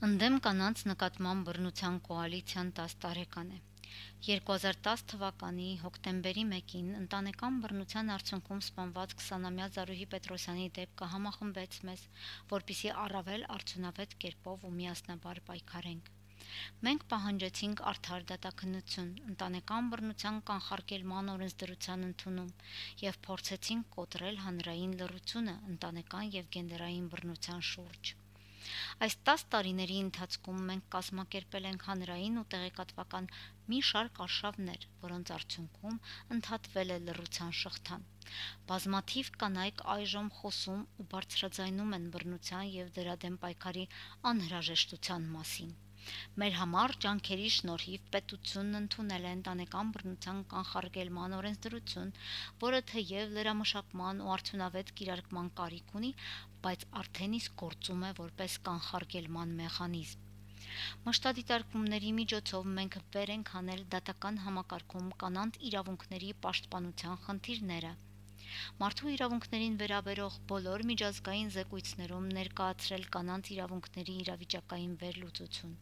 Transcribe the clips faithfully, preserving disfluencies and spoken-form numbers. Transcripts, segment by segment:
Ընդդեմ կանանց նկատմամբ բռնության կոալիցիան տասը տարեկան է։ երկու հազար տասը թվականի հոկտեմբերի մեկին ընտանեկան բռնության արդյունքում սպանված քսանամյա Զարուհի Պետրոսյանի դեպքը համախմբեց մեզ, որպեսզի առավել արդյունավետ կերպով ու միասնաբար պայքարենք։ Մենք պահանջեցինք արդար դատաքննություն, ընտանեկան բռնության կանխարգելման օրենսդրության ընդունում և փորձեցինք կոտրել հանրային լռությունը ընտանեկան և գենդերային բռնության շուրջ։ Այս տասը տարիների ընթացքում մենք կազմակերպել ենք հանրային ու տեղեկատվական մի շարք արշավներ, որոնց արդյունքում ընդհատվել է լռության շղթան։ Բազմաթիվ կանայք այժմ խոսում ու բարձրաձայնում են բռնության և դրա դեմ պայքարի անհրաժեշտության մասին։ Մեր համառ ջանքերի շնորհիվ պետությունն ընդունել է ընտանեկան բռնության կանխարգելման օրենսդրություն, որը թեև լրամշակման ու արդյունավետ կիրարկման կարիք ունի, բայց արդեն իսկ գործում է որպես կանխարգելման մեխանիզմ։ Մշտադիտարկումների միջոցով մենք վեր ենք հանել դատական համակարգում կանանց իրավունքների պաշտպանության խնդիրները։ Մարդու իրավունքներին վերաբերող բոլոր միջազգային զեկույցներում ներկայացրել կանանց իրավունքների իրավիճակային վերլուծություն։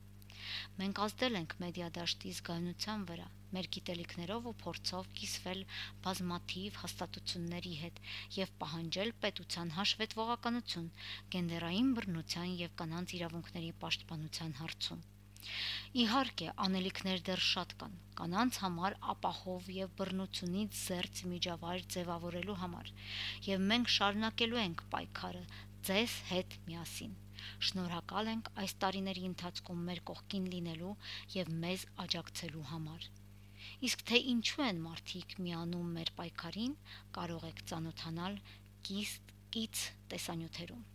Մենք ազդել ենք մեդիա դաշտի զգայունության վրա, մեր գիտելիքներով ու փորձով կիսվել բազմաթիվ հաստատությունների հետ և պահանջել պետության հաշվետվողականություն գենդերային բռնության և կանանց իրավունքների պաշտպանության հարցում։ Իհարկե, անելիքներ դեռ շատ կան կանանց համար ապահով և բռնությունից զերծ միջավայր ձևավորելու համար, և մենք շարունակելու ենք պայքարը ձեզ հետ միասին։ Շնորհակալ ենք այս տարիների ընթացքում մեր կողքին լինելու և մեզ աջակցելու համար։ Իսկ թե ինչու են մարդիկ միանում մեր պայքարին, կարող եք ծանոթանալ կից տեսանյութերում։